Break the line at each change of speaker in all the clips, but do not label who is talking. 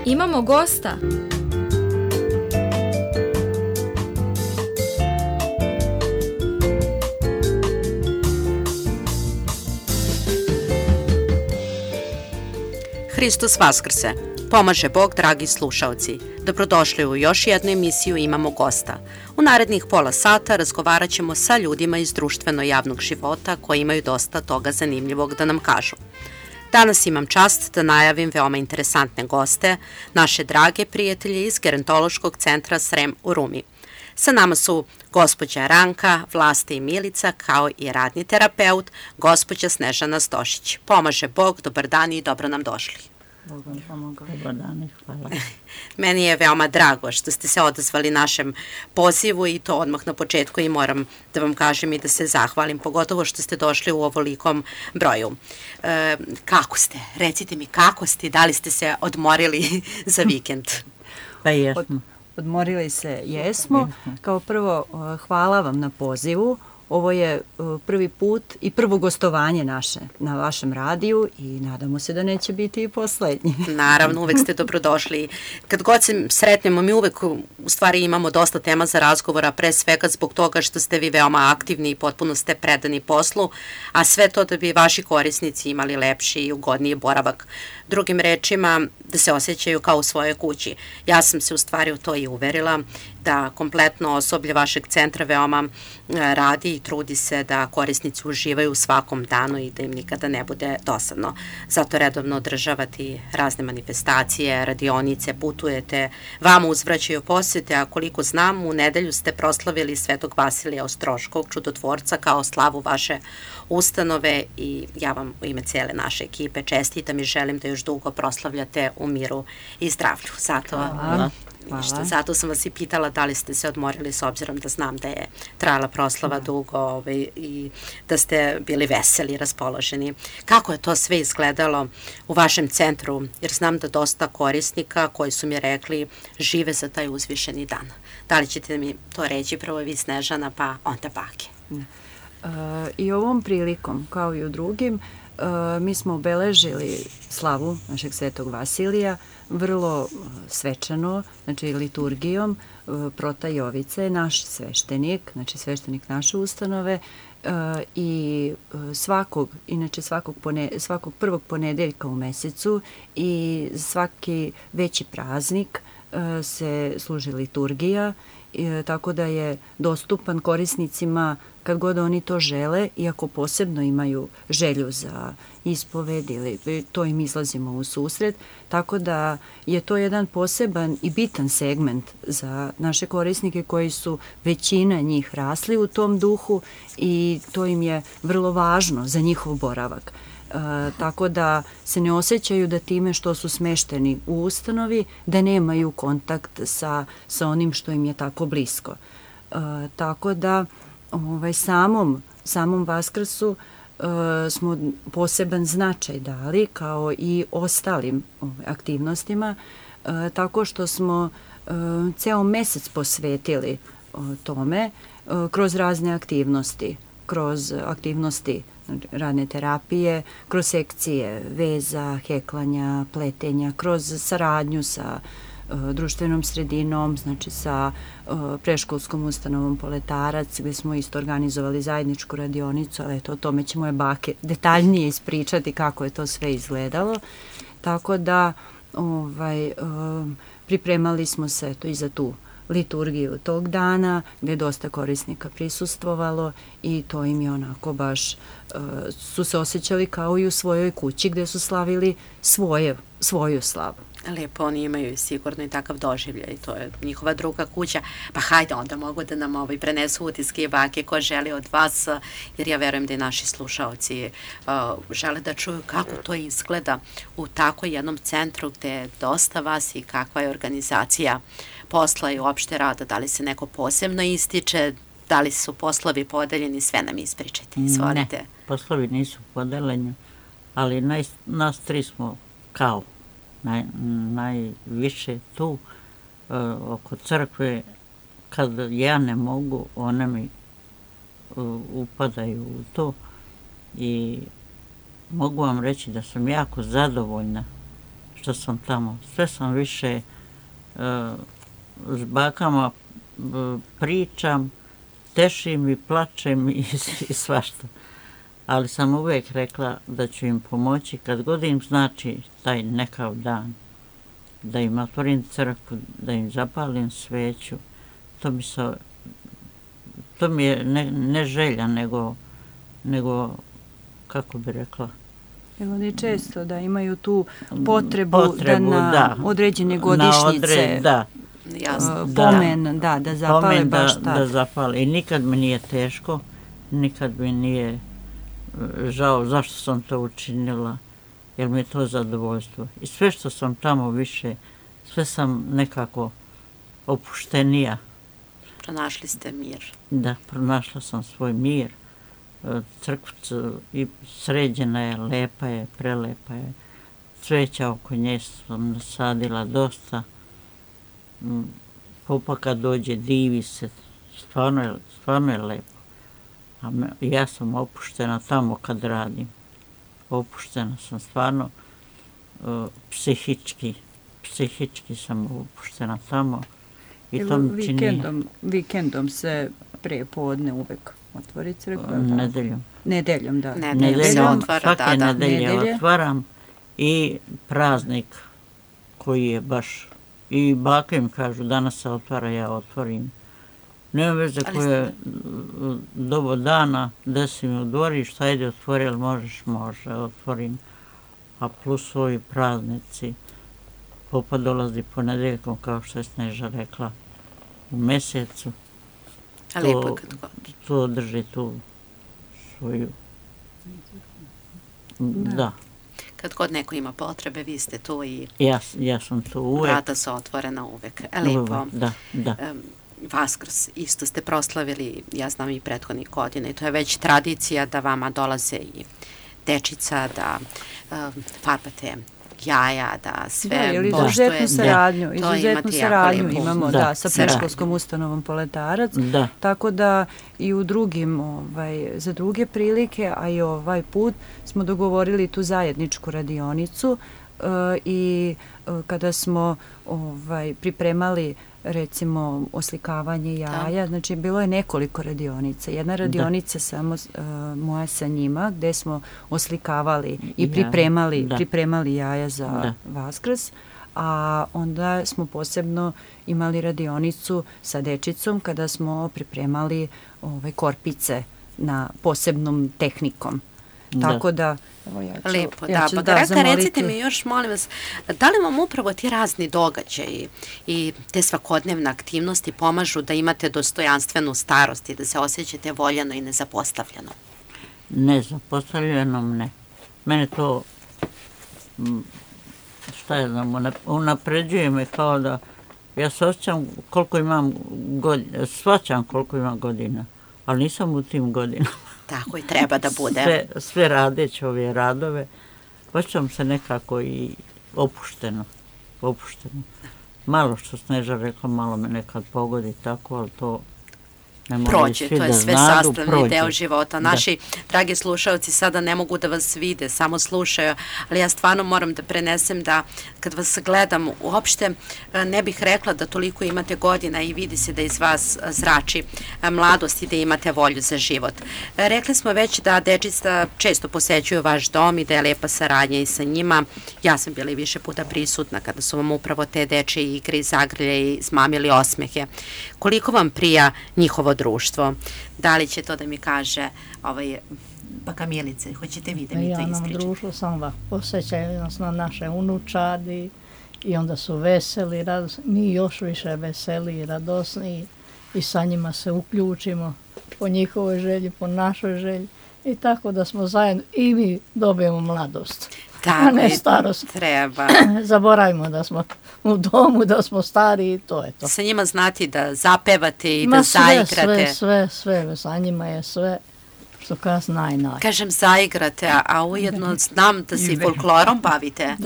Imamo gosta.
Hristos Vaskrse! Pomaže Bog, dragi slušaoci. Dobrodošli u još jednu emisiju Imamo gosta. U narednih pola sata razgovarat ćemo sa ljudima iz društveno-javnog života koji imaju dosta toga zanimljivog da nam kažu. Danas imam čast da najavim veoma interesantne goste, naše drage prijatelje iz Gerontološkog centra Srem u Rumi. Sa nama su gospođa Ranka, Vlasta i Milica, kao i radni terapeut, gospođa Snežana Stošić. Pomaže Bog, dobar dan i dobro nam došli.
Dobar dan, hvala.
Meni je veoma drago što ste se odazvali našem pozivu i to odmah na početku i moram da vam kažem i da se zahvalim, pogotovo što ste došli u ovolikom broju. Kako ste? Recite mi kako ste, da li ste se odmorili za vikend?
Pa jesmo.
Odmorili se jesmo. Kao prvo, hvala vam na pozivu. Ovo je prvi put i prvo gostovanje naše na vašem radiju i nadamo se da neće biti i poslednji.
Naravno, uvek ste dobrodošli. Kad god se sretnemo, mi uvek u stvari imamo dosta tema za razgovora, pre svega zbog toga što ste vi veoma aktivni i potpuno ste predani poslu, a sve to da bi vaši korisnici imali lepši i ugodniji boravak. Drugim rečima, da se osjećaju kao u svojoj kući. Ja sam se u stvari u to i uverila, da kompletno osoblje vašeg centra veoma radi i trudi se da korisnici uživaju u svakom danu i da im nikada ne bude dosadno. Zato redovno održavati razne manifestacije, radionice, putujete, vama uzvraćaju posete, a koliko znam, u nedelju ste proslavili Svetog Vasilija Ostroškog, čudotvorca, kao slavu vaše ustanove i ja vam u ime cele naše ekipe čestitam i želim da još dugo proslavljate u miru i zdravlju. Zato sam vas i pitala da li ste se odmorili, s obzirom da znam da je trajala proslava dugo i da ste bili veseli, raspoloženi. Kako je to sve izgledalo u vašem centru? Jer znam da dosta korisnika koji su mi rekli žive za taj uzvišeni dan. Da li ćete mi to reći prvo vi, Snežana, pa onda bake?
I ovom prilikom, kao i u drugim, mi smo obeležili slavu našeg Svetog Vasilija vrlo svečano, znači liturgijom. Prota Jovica je naš sveštenik, znači sveštenik naše ustanove i svakog prvog ponedeljka u mesecu i svaki veći praznik se služi liturgija, tako da je dostupan korisnicima kad god oni to žele, iako posebno imaju želju za ispoved ili to im izlazimo u susret, tako da je to jedan poseban i bitan segment za naše korisnike koji su većina njih rasli u tom duhu i to im je vrlo važno za njihov boravak. Tako da se ne osjećaju da time što su smešteni u ustanovi, da nemaju kontakt sa onim što im je tako blisko. Tako da samom Vaskrsu smo poseban značaj dali, kao i ostalim aktivnostima, tako što smo ceo mesec posvetili tome kroz razne aktivnosti, kroz aktivnosti radne terapije, kroz sekcije veza, heklanja, pletenja, kroz saradnju sa društvenom sredinom, znači sa preškolskom ustanovom Poletarac, gde smo isto organizovali zajedničku radionicu, ali eto, o tome će moje bake detaljnije ispričati kako je to sve izgledalo. Tako da pripremali smo se i za tu liturgiju tog dana, gde je dosta korisnika prisustvovalo i to im je onako baš, su se osjećali kao i u svojoj kući gde su slavili svoju slavu.
Lepo, oni imaju sigurno i takav doživljaj, to je njihova druga kuća. Pa hajde, onda mogu da nam prenesu utiske i bake ko želi od vas, jer ja verujem da i naši slušaoci žele da čuju kako to izgleda u tako jednom centru gde je dosta vas i kakva je organizacija posla i uopšte rada, da li se neko posebno ističe, da li su poslovi podeljeni, sve nam ispričajte, izvolite.
Ne, poslovi nisu podeljeni, ali nas tri smo kao najviše tu oko crkve. Kad ja ne mogu, one mi upadaju u to i mogu vam reći da sam jako zadovoljna što sam tamo. Sve sam više s bakama pričam, tešim i plačem i svašta. Ali sam uvijek rekla da ću im pomoći kad god im znači taj nekav dan. Da im otvorim crkvu, da im zapalim sveću. To mi je ne želja, nego kako bi rekla.
Jer oni često da imaju tu potrebu da na određene godišnjice pomen, da zapale pomen baš tako.
Da zapale. I nikad mi nije teško, nikad mi nije žao zašto sam to učinila, jer mi je to zadovoljstvo. I sve što sam tamo više, sve sam nekako opuštenija.
Pronašli ste mir.
Da, pronašla sam svoj mir. Crkvica i sređena je, lepa je, prelepa je. Cveća oko nje sam nasadila dosta. Popa kad dođe divi se, stvarno je lepo. A ja sam opuštena tamo kad radim. Opuštena sam stvarno psihički sam opuštena tamo. I to mi čini...
Vikendom se pre podne uvek otvori crkva?
Nedeljom,
da.
Nedeljom
svake nedelje otvaram i praznik koji je baš... I baka im kažu, danas se otvara, ja otvorim. Nema veze koje dobo dana, desi mi u dvorištu, ajde otvori, ali može, otvorim. A plus ovi praznici, popa dolazi ponedeljkom, kao što je Sneža rekla, u mjesecu.
A lijepo kad god.
To drži tu svoju... Da.
Kad god neko ima potrebe, vi ste tu i...
Ja sam tu uvek.
Vrata su otvorena uvek. Lijepo.
Da.
Vaskrs isto ste proslavili, ja znam i prethodnih godina, i to je već tradicija da vama dolaze i dečica, da farbate jaja, da sve
poštuje. Izuzetnu saradnju imamo sa predškolskom ustanovom Poletarac, tako da i u drugim, za druge prilike, a i ovaj put smo dogovorili tu zajedničku radionicu i kada smo pripremali recimo oslikavanje jaja, znači bilo je nekoliko radionica. Jedna radionica samo moja sa njima gdje smo oslikavali i pripremali jaja za Vaskrs, a onda smo posebno imali radionicu sa dečicom kada smo pripremali korpice na posebnom tehnikom. Tako da,
lijepo, recite mi još, molim vas, da li vam upravo ti razni događaji i te svakodnevne aktivnosti pomažu da imate dostojanstvenu starost i da se osjećate voljeno i nezapostavljeno?
Nezapostavljenom ne. Mene to, unapređuje me kao da ja se osjećam koliko imam godina, shvaćam koliko imam godina, ali nisam u tim godinama.
Tako i treba da bude.
Sve radeći ove radove, osjećam se nekako i opušteno. Malo što Sneža rekla, malo me nekad pogodi tako, ali to
prođe, to je sve sastavni deo života. Naši dragi slušalci sada ne mogu da vas vide, samo slušaju, ali ja stvarno moram da prenesem da kad vas gledam uopšte ne bih rekla da toliko imate godina i vidi se da iz vas zrači mladost i da imate volju za život. Rekli smo već da dečica često posećuju vaš dom i da je lepa saradnja i sa njima. Ja sam bila i više puta prisutna kada su vam upravo te dečje igre i zagrlje i zmamili osmehe. Koliko vam prija njihovo društvo? Da li će to da mi kaže baka Milice? Hoćete vi da mi to ističete?
Ja nam društvo sam ovako posjećaju nas na naše unučadi i onda su veseli, radosni. Mi još više veseli i radosni i sa njima se uključimo po njihovoj želji, po našoj želji i tako da smo zajedno i mi dobijemo mladost. A ne starost.
Treba.
Zaboravimo da smo u domu, da smo stari i to je to.
Sa njima znati da zapevate i da zaigrate.
Sve, sa njima je sve što kas naj.
Kažem zaigrate, a ujedno znam da se i folklorom bavite.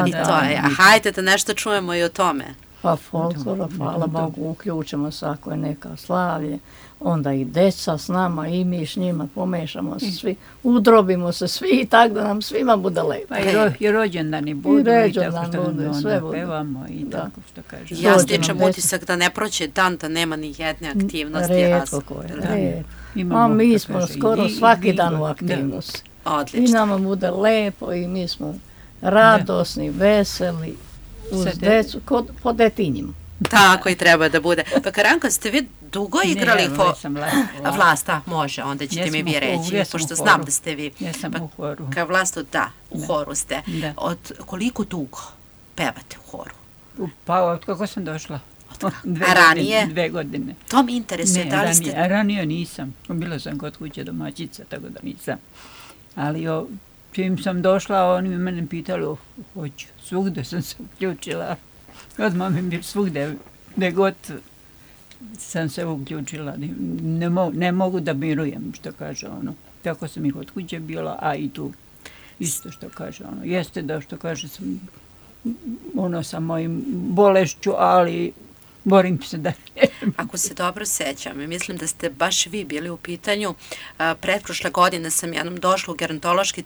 I to je. A hajde da nešto čujemo i o tome.
Pa folklora, hvala Bogu, uključimo se ako je neka slavlje, onda i deca s nama i mi s njima pomešamo se svi, udrobimo se svi i tako da nam svima bude lepo.
Pa i rođendani budu i tako što onda pevamo i tako što kažemo.
Ja stičem utisak da ne prođe dan da nema ni jedne aktivnosti.
Rijetko koje, rijetko. A mi smo skoro svaki dan u aktivnosti.
Odlično.
I nama bude lepo i mi smo radosni, veseli, uz decu, po detinjima.
Tako i treba da bude. Pa Karanka, ste vi dugo igrali Vlast? Može, onda ćete mi vi reći, pošto znam da ste vi.
Ja sam u horu.
Kao Vlastu, da, u horu ste. Od koliko dugo pevate u horu?
Pa od kako sam došla.
A ranije?
2 godine.
To mi interesuje, da li ste...
Ranije nisam. Bila sam kod kuće domaćica, tako da nisam. Ali čim sam došla, oni mene pitali, hoću, svugde sam se uključila. Odmah mi bi svugde, gde god sam se uključila. Ne mogu da mirujem, što kaže ono. Tako sam i kod kuće bila, a i tu isto što kaže ono. Jeste da što kaže sam sa mojim bolešću, ali borim se da ne.
Ako se dobro sećam, mislim da ste baš vi bili u pitanju. Pretprošle godine sam jednom došla u gerontološki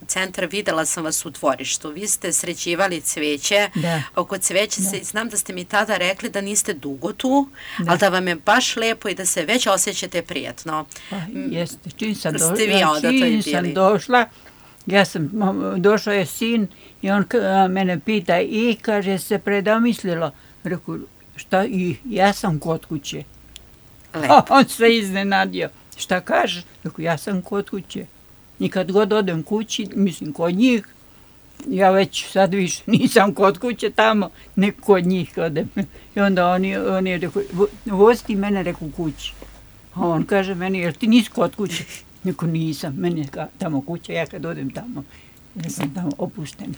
centar, videla sam vas u dvorištu. Vi ste sređivali cveće. Oko cveće znam da ste mi tada rekli da niste dugo tu, ali da vam je baš lepo i da se već osjećate prijatno.
Pa jeste, čim sam došla, došao je sin i on mene pita i kaže se predomislilo. Reku, šta i ja sam kod kuće. On se iznenadio. Šta kažeš? Reku, ja sam kod kuće. I kad god odem kući, mislim kod njih, ja već sad više nisam kod kuće tamo, nek kod njih odem. I onda oni reku, vozi ti mene, reku, kući. A on kaže meni, jer ti nisi kod kuće? Neko nisam, meni je tamo kuća, ja kad odem tamo, ja sam tamo opušten.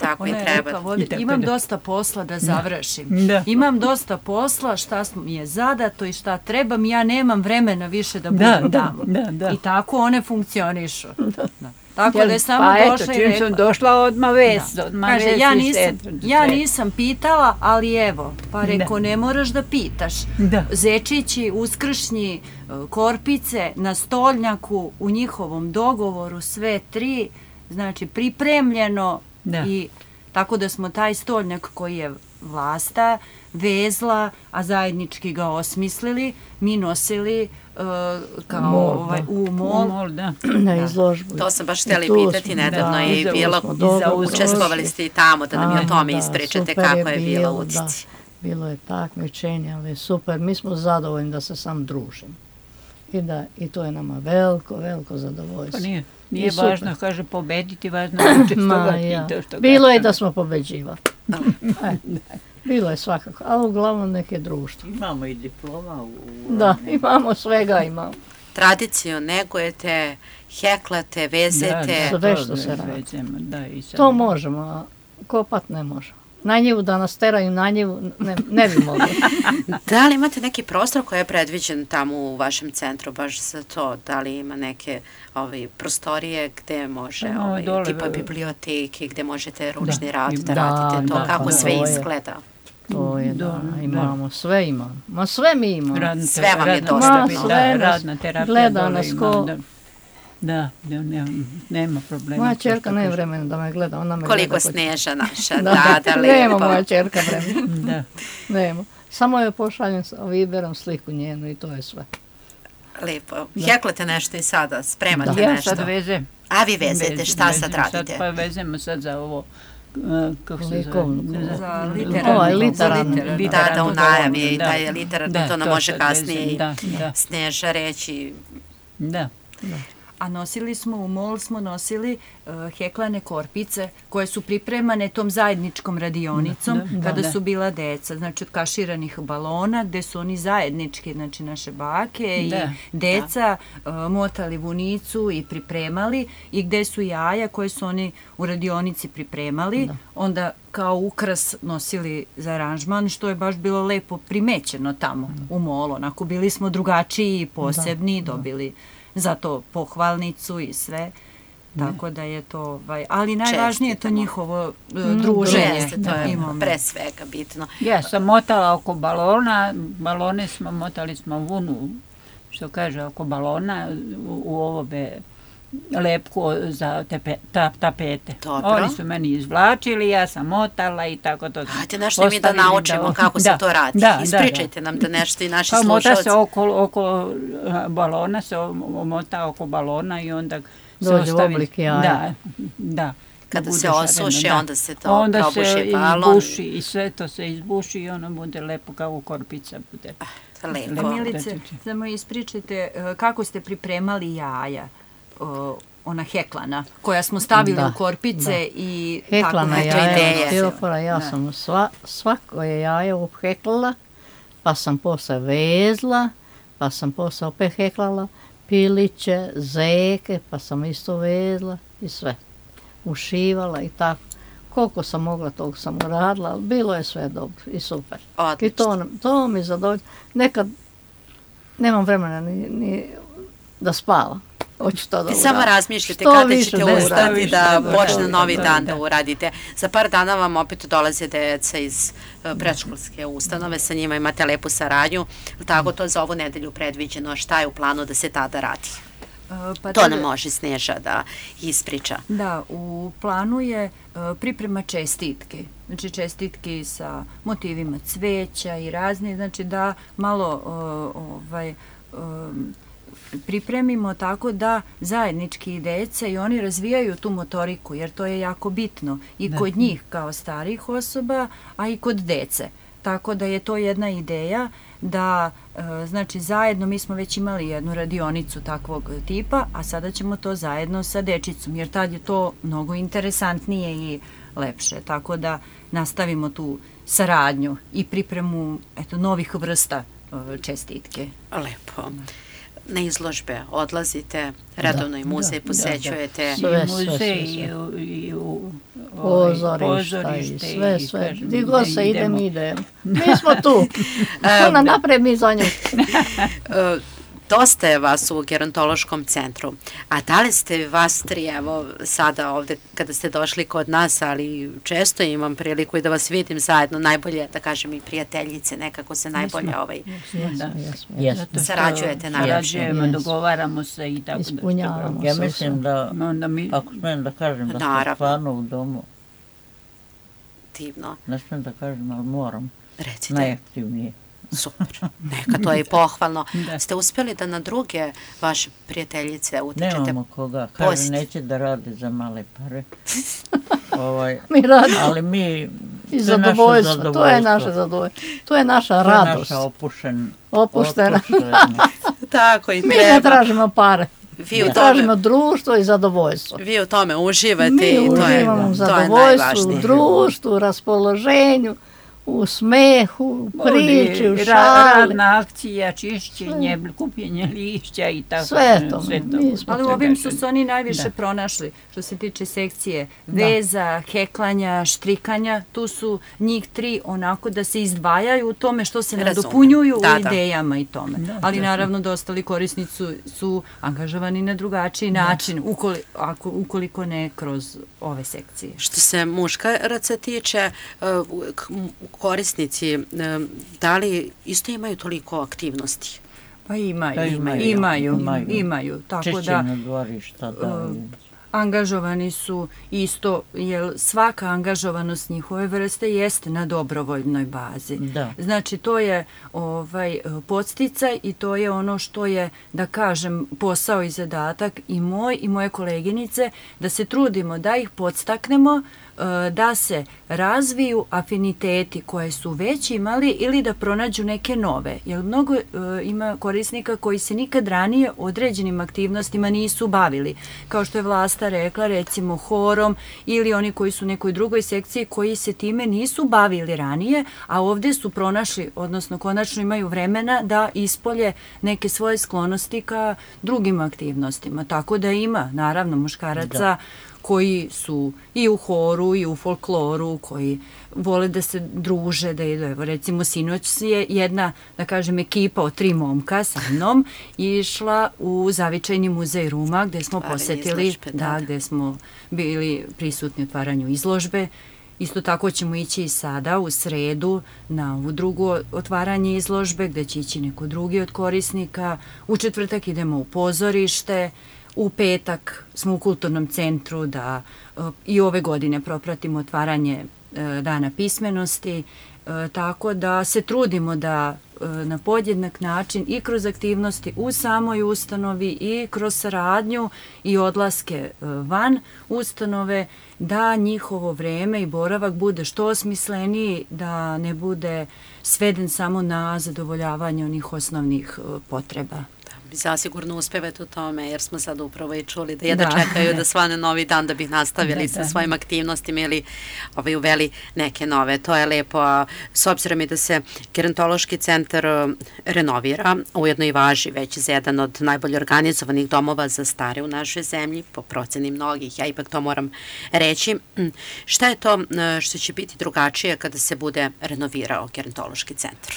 Tako i treba.
Imam dosta posla da završim. Imam dosta posla, šta mi je zadato i šta trebam, ja nemam vremena više da budem tamo. I tako one funkcionišu. Tako da je samo došla i rekla.
Čim sam došla odmah vest.
Kaže, ja nisam pitala, ali evo, pa reko, ne moraš da pitaš. Zečići, uskršnji, korpice na stolnjaku u njihovom dogovoru, sve 3, znači pripremljeno i tako da smo taj stolnjak koji je Vlasta vezla, a zajednički ga osmislili, mi nosili u mol.
Na izložbu.
To sam baš htjeli pitati, nedavno je bilo, učestvovali ste i tamo, da nam i o tome ispričate kako je bilo u Udici.
Bilo je takmičenje, ali super, mi smo zadovoljni da se sam družimo. I to je nama veliko, veliko zadovoljstvo.
Pa nije važno, kaže, pobediti, važno učestvovati.
Bilo je da smo pobeđivali. Bilo je svakako, ali uglavnom neke društvo.
Imamo i diploma.
Da, imamo svega, imamo.
Tradiciju negujete, heklate, vezete.
Sve što se radi. To možemo, a kopat ne možemo. Na njivu da nas teraju, na njivu ne bi mogli.
Da li imate neki prostor koji je predviđen tamo u vašem centru baš za to? Da li ima neke prostorije gde može, tipa biblioteke, gde možete ručni rad da radite to, kako sve izgleda?
To je, imamo, sve imamo. Ma sve mi imamo.
Sve vam je dosta bilo.
Radna terapija.
Gleda nas ko...
Da, nema problema.
Moja čerka nema vremena da me gleda, ona me gleda.
Koliko Sneža naša,
da, nema moja čerka vremena. Nema. Samo joj pošaljem sa Viberom sliku njenu i to je sve.
Lepo. Heklate nešto i sada, spremate nešto.
Ja sad vezem.
A vi vezete, šta sad radite?
Pa vezemo sad za ovo, kako se
zove?
Za literarnu.
Da, u najavi je i taj literarni, to nam može kasnije i Sneža reći.
Da.
A u mol smo nosili heklane korpice koje su pripremane tom zajedničkom radionicom kada su bila deca. Znači od kaširanih balona gde su oni zajednički, znači naše bake i deca motali vunicu i pripremali i gde su jaja koje su oni u radionici pripremali. Onda kao ukras nosili za aranžman, što je baš bilo lepo primećeno tamo u molu. Onako bili smo drugačiji i posebni, dobili za to pohvalnicu i sve. tako da je to, ali najvažnije je to njihovo druženje.
To je pre svega bitno.
Ja sam motala oko balona, balone motali smo vunu, što kaže, oko balona u ovome lepku za tapete.
Dobro.
Oni su meni izvlačili, ja sam motala i tako to.
Hajde nešto mi da naučimo kako se to radi. Ispričajte nam da nešto i naši slušalci.
Mota se oko balona, se omota oko balona i onda se
dođe u oblik jaja.
Da.
Kada se osuši, onda se to probuši balon.
Onda se izbuši i sve to se izbuši i ono bude lepo kao korpica. Bude.
Lepo.
Milice, samo ispričajte kako ste pripremali jaja, ona heklana, koja smo stavili u korpice i
heklana
tako
jaja, stiropora, ja sam svako je jaje uheklala, pa sam posle vezla, pa sam posle opet heklala piliće, zeke, pa sam isto vezla i sve. Ušivala i tako. Koliko sam mogla, toliko sam uradila, ali bilo je sve dobro i super.
Odlično.
I to mi zadovoljno. Nekad nemam vremena ni da spavam. Hoću to da uradim.
Samo razmišljate kada ćete ustati da počne novi dan da uradite. Za par dana vam opet dolaze deca iz predškolske ustanove, sa njima imate lepu saradnju. Tako to za ovu nedelju predviđeno, šta je u planu da se tada radi? To nam može Sneža da ispriča.
Da, u planu je priprema čestitke. Znači čestitke sa motivima cveća i razni, znači da malo pripremimo tako da zajednički deca i oni razvijaju tu motoriku, jer to je jako bitno i kod njih kao starih osoba, a i kod dece. Tako da je to jedna ideja da, znači zajedno, mi smo već imali jednu radionicu takvog tipa, a sada ćemo to zajedno sa dečicom, jer tad je to mnogo interesantnije i lepše. Tako da nastavimo tu saradnju i pripremu novih vrsta čestitke.
Lepo. Na izložbe odlazite, redovno i muzej posećujete.
I muzej i
pozorišta i sve. Gdje god se ide, mi idemo. Mi smo tu. Ona napred, mi za nju.
Dosta je vas u gerontološkom centru, a da li ste vas tri, evo sada ovde kada ste došli kod nas, ali često imam priliku i da vas vidim zajedno, najbolje, da kažem, i prijateljice, nekako se najbolje sarađujete
najbolje. Dogovaramo se i tako.
Ispunjavamo se.
Ja mislim da, ako smijem da kažem, da ste stvarno u domu.
Divno.
Ne smijem da kažem, ali moram.
Recite.
Najaktivnije.
Super, neka to je i pohvalno. Ste uspjeli da na druge vaše prijateljice utičete?
Nemamo koga, kaže neće da radi za male pare.
Mi radimo.
Ali mi,
i zadovoljstvo, to je naše zadovoljstvo. To je naša radost.
To je naša
opuštena.
Tako i treba.
Mi ne tražimo pare. Mi tražimo društvo i zadovoljstvo.
Vi u tome uživate.
Mi uživamo u zadovoljstvu, u društvu, u raspoloženju, u smehu, u priči, u šali.
Radna akcija, čišćenje, kupljenje lišća i tako.
Sve to.
Ali u ovim su se oni najviše pronašli, što se tiče sekcije veza, heklanja, štrikanja. Tu su njih tri onako da se izdvajaju u tome što se nadopunjuju u idejama i tome. Ali naravno da ostali korisnici su angažovani na drugačiji način, ukoliko ne kroz ove sekcije.
Što se muškaraca tiče, korisnici, da li isto imaju toliko aktivnosti?
Pa imaju. Tako da
dvorišta,
angažovani su isto, jer svaka angažovanost njihove vrste jeste na dobrovoljnoj bazi. Znači to je podsticaj i to je ono što je, da kažem, posao i zadatak i moj i moje koleginice, da se trudimo da ih podstaknemo, da se razviju afiniteti koje su već imali ili da pronađu neke nove. Jer mnogo ima korisnika koji se nikad ranije određenim aktivnostima nisu bavili. Kao što je Vlasta rekla, recimo horom ili oni koji su u nekoj drugoj sekciji koji se time nisu bavili ranije, a ovdje su pronašli, odnosno konačno imaju vremena da ispolje neke svoje sklonosti ka drugim aktivnostima. Tako da ima, naravno, muškaraca koji su i u horu i u folkloru, koji vole da se druže, da idu. Evo, recimo, sinoć je jedna, da kažem, ekipa od 3 momka sa mnom išla u Zavičajni muzej Ruma, gde smo posetili, gde smo bili prisutni u otvaranju izložbe. Isto tako ćemo ići i sada u sredu na ovu drugo otvaranje izložbe, gde će ići neko drugi od korisnika. U četvrtak idemo u pozorište. U petak smo u kulturnom centru da i ove godine propratimo otvaranje Dana pismenosti, tako da se trudimo da na podjednak način i kroz aktivnosti u samoj ustanovi i kroz saradnju i odlaske van ustanove, da njihovo vreme i boravak bude što osmisleniji, da ne bude sveden samo na zadovoljavanje onih osnovnih potreba.
Zasigurno uspevate u tome, jer smo sad upravo i čuli da jedno čekaju da svane novi dan da bi nastavili sa svojim aktivnostima ili uveli neke nove. To je lepo, a s obzirom i da se gerontološki centar renovira, ujedno i važi već za jedan od najbolje organizovanih domova za stare u našoj zemlji, po proceni mnogih, ja ipak to moram reći. Šta je to što će biti drugačije kada se bude renovirao gerontološki centar?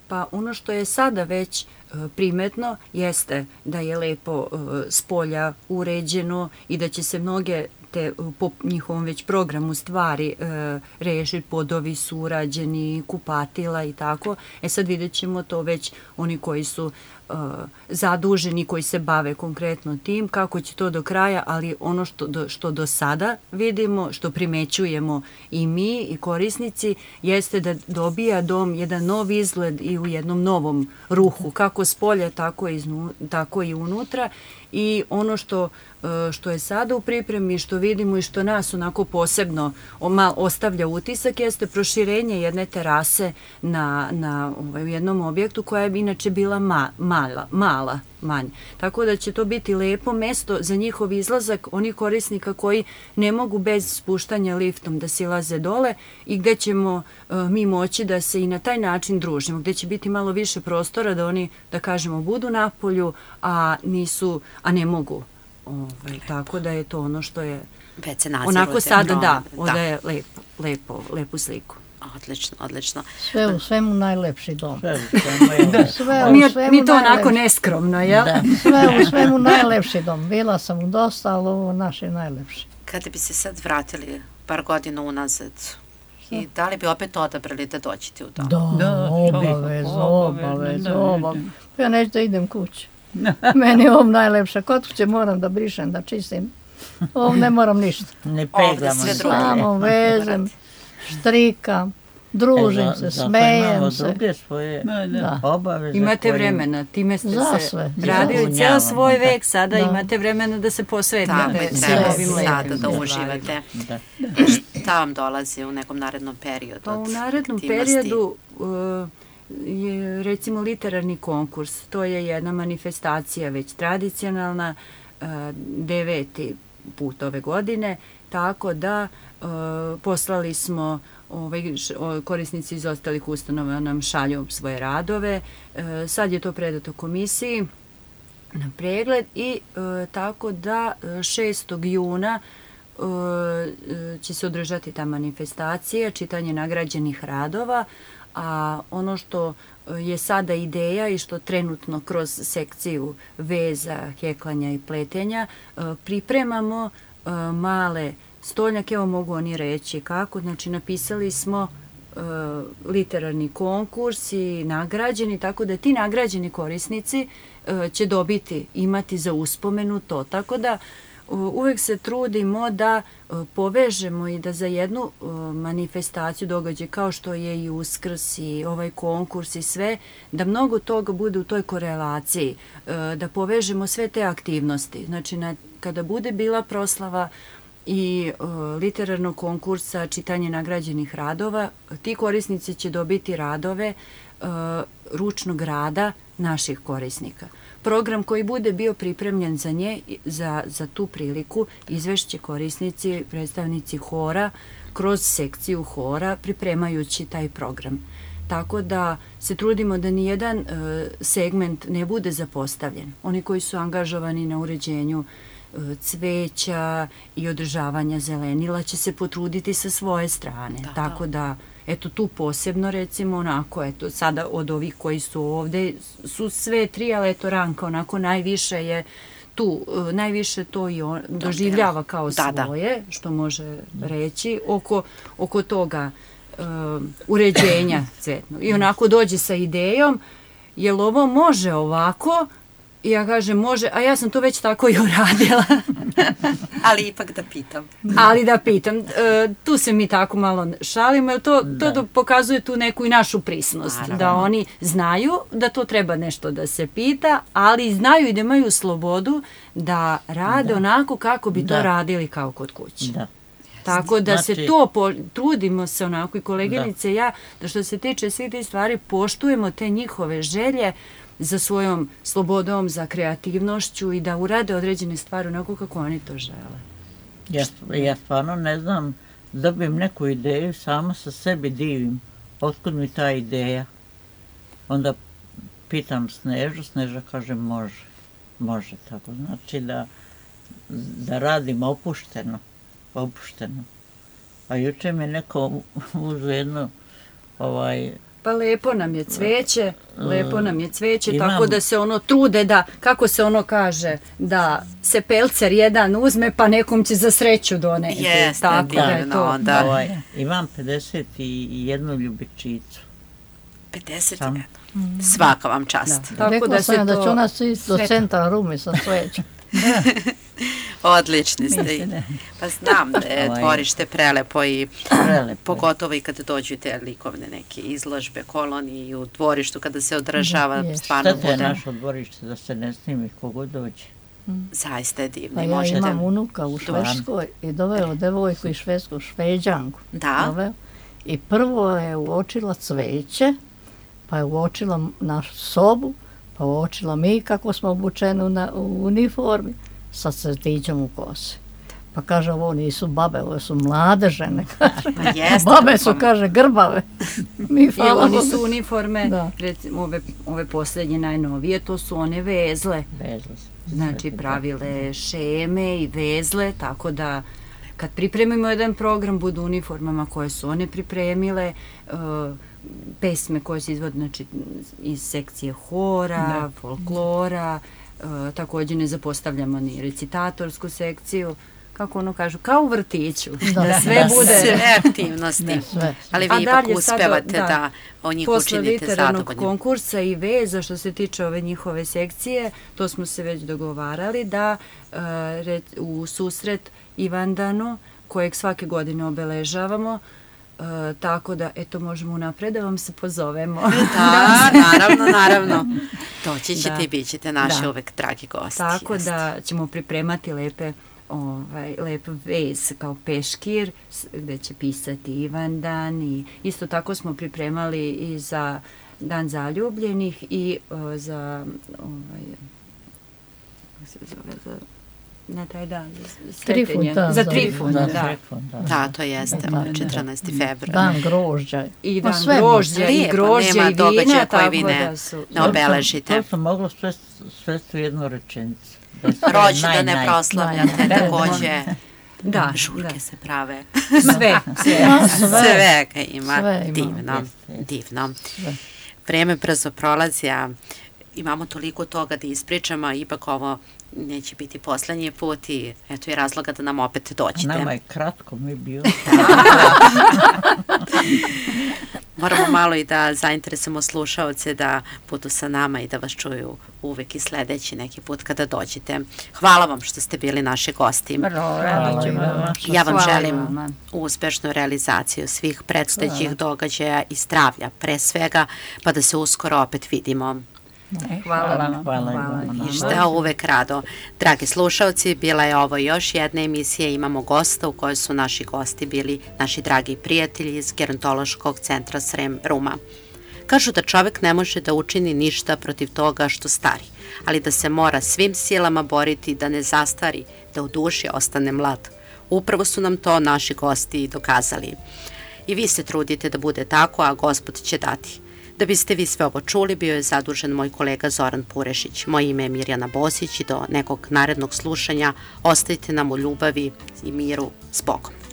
Pa ono što je sada već primetno jeste da je lepo spolja uređeno i da će se mnoge te po njihovom već programu stvari rešiti, podovi su urađeni, kupatila i tako. Sad vidjet ćemo to već oni koji su zaduženi, koji se bave konkretno tim, kako će to do kraja, ali ono što do sada vidimo, što primećujemo i mi i korisnici, jeste da dobija dom jedan nov izgled i u jednom novom ruhu, kako s polja, tako i unutra. I ono što je sada u pripremi, što vidimo i što nas onako posebno ostavlja utisak, jeste proširenje jedne terase u jednom objektu koja je inače bila manja. Tako da će to biti lepo mesto za njihov izlazak onih korisnika koji ne mogu bez spuštanja liftom da silaze dole i gde ćemo mi moći da se i na taj način družimo, gde će biti malo više prostora da oni, da kažemo, budu napolju, a ne mogu. Tako da je to ono što je onako sada odaje lepu sliku.
Odlično.
Sve u svemu najlepši dom.
Mi to onako neskromno, jel?
Sve u svemu najlepši dom. Bila sam u dosta, ali ovo naš je najlepši.
Kada bi se sad vratili par godina unazad, i da li bi opet odabrali da dođete u dom?
Da, obavezno. Ja neću da idem kući. Meni je ovo najlepša. Kod kuće moram da brišem, da čistim. Ovo ne moram ništa.
Ne peglamo.
Samo vezem, štrikam, družim se, smejem se.
Druge svoje obaveze.
Imate vremena, time ste se radili cijel svoj vek, sada imate vremena da se posvetite svim ovim lepim.
Da uživate. Šta vam dolazi u nekom narednom periodu?
Pa u narednom periodu je recimo literarni konkurs. To je jedna manifestacija već tradicionalna, 9. put ove godine, tako da poslali smo, korisnici iz ostalih ustanova nam šalju svoje radove. Sad je to predato komisiji na pregled i tako da 6. juna će se održati ta manifestacija, čitanje nagrađenih radova, a ono što je sada ideja i što trenutno kroz sekciju veza, heklanja i pletenja pripremamo male stolnjake, evo mogu oni reći kako, znači napisali smo literarni konkurs i nagrađeni, tako da ti nagrađeni korisnici će imati za uspomenu to, tako da uvek se trudimo da povežemo i da za jednu manifestaciju, događaj kao što je i Uskrs i ovaj konkurs i sve, da mnogo toga bude u toj korelaciji, da povežemo sve te aktivnosti. Znači, kada bude bila proslava i literarnog konkursa, čitanje nagrađenih radova, ti korisnici će dobiti radove ručnog rada naših korisnika. Program koji bude bio pripremljen za tu priliku izvešće korisnici, predstavnici hora kroz sekciju hora pripremajući taj program. Tako da se trudimo da nijedan segment ne bude zapostavljen. Oni koji su angažovani na uređenju cveća i održavanja zelenila će se potruditi sa svoje strane. Tako da, eto tu posebno recimo onako, eto sada od ovih koji su ovde su sve tri, ali eto Ranka onako najviše je tu, najviše to i on doživljava kao svoje, što može reći, oko toga uređenja cvetnog. I onako dođe sa idejom, jel ovo može ovako? I ja kažem može, a ja sam to već tako i uradila.
Ali ipak da pitam.
Ali da pitam. Tu se mi tako malo šalimo, jer to pokazuje tu neku i našu prisnost. Da oni znaju da to treba nešto da se pita, ali znaju i da imaju slobodu da rade onako kako bi to radili kao kod kuće. Tako da se to, trudimo se onako i koleginice i ja, da što se tiče svih tih stvari, poštujemo te njihove želje za svojom slobodom, za kreativnošću i da urade određene stvari onako kako oni to žele.
Ja stvarno ne znam, dobijem neku ideju, sama sa sebi divim. Otkud mi ta ideja? Onda pitam Snežu, Sneža kaže može tako. Znači da radim opušteno. A juče mi neko uzeo jedno
Pa lepo nam je cveće, tako da se ono trude da, kako se ono kaže, da se pelcer jedan uzme pa nekom će za sreću doneti.
Jeste, divno.
Imam 51 ljubičicu.
51. Svaka vam čast.
Rekla sam da će ona svi do centra Rumi sa svećom.
Odlični ste. Pa znam da je dvorište prelepo i pogotovo i kada dođu te likovne neke izložbe, kolonije i u dvorištu kada se održava stvarno bude.
Šta je naše dvorište da se ne snimi kogod dođe?
Zaista je divno.
Pa ja imam unuka u Švedskoj i doveo devojku iz Švedsku, Šveđanku.
Da.
I prvo je uočila cveće, pa je uočila našu sobu, pa uočila mi kako smo obučeni u uniformi sa crtićem u kosi. Pa kaže, ovo nisu babe, ovo su mlade žene. Babe su, kaže, grbave.
Oni su uniforme, recimo ove posljednje najnovije, to su one vezle. Znači pravile šeme i vezle, tako da kad pripremimo jedan program, budu uniformama koje su one pripremile, pesme koje se izvode znači, iz sekcije hora, folklora, također ne zapostavljamo ni recitatorsku sekciju, kako ono kažu, kao u vrtiću. Da sve bude...
Sve aktivnosti. Ali vi ipak uspevate da o njih učinite zadovoljnim.
Posle literarnog konkursa i veza što se tiče ove njihove sekcije, to smo se već dogovarali da u susret Ivandanu, kojeg svake godine obeležavamo, tako da, eto, možemo unapred da vam se pozovemo.
Da, naravno. Doći ćete i bit ćete naši uvek dragi gosti.
Tako da ćemo pripremati lep vez kao peškir, gde će pisati Ivandan i isto tako smo pripremali i za Dan zaljubljenih i za na taj dan, za Trifun,
da, to jeste, 14. februar.
Dan grožđa.
I dan grožđa, i grožđa, i vina, tako da su...
Ne obeležite.
To sam mogla svesti u jednu rečenicu.
Rođendane proslavljate, takođe.
Da,
žurke se prave.
Svega
ima. Divno. Vreme brzo prolazi, a imamo toliko toga da ispričamo, a ipak ovo neće biti poslednji put i eto je razloga da nam opet dođete.
Nama je kratko mi bio.
Moramo malo i da zainteresujemo slušaoce da budu sa nama i da vas čuju uvek i sledeći neki put kada dođete. Hvala vam što ste bili naši gosti. Ja vam želim uspešnu realizaciju svih predstojećih događaja i zdravlja pre svega, pa da se uskoro opet vidimo.
Hvala.
I šta uvek rado. Dragi slušalci, bila je ovo još jedna emisija. Imamo gosta u kojoj su naši gosti bili naši dragi prijatelji iz Gerontološkog centra Srem Ruma. Kažu da čovek ne može da učini ništa protiv toga što stari, ali da se mora svim silama boriti da ne zastari, da u duši ostane mlad. Upravo su nam to naši gosti dokazali. I vi se trudite da bude tako, a Gospod će dati. Da biste vi sve ovo čuli, bio je zadužen moj kolega Zoran Purešić. Moje ime je Mirjana Bosić i do nekog narednog slušanja ostavite nam u ljubavi i miru s Bogom.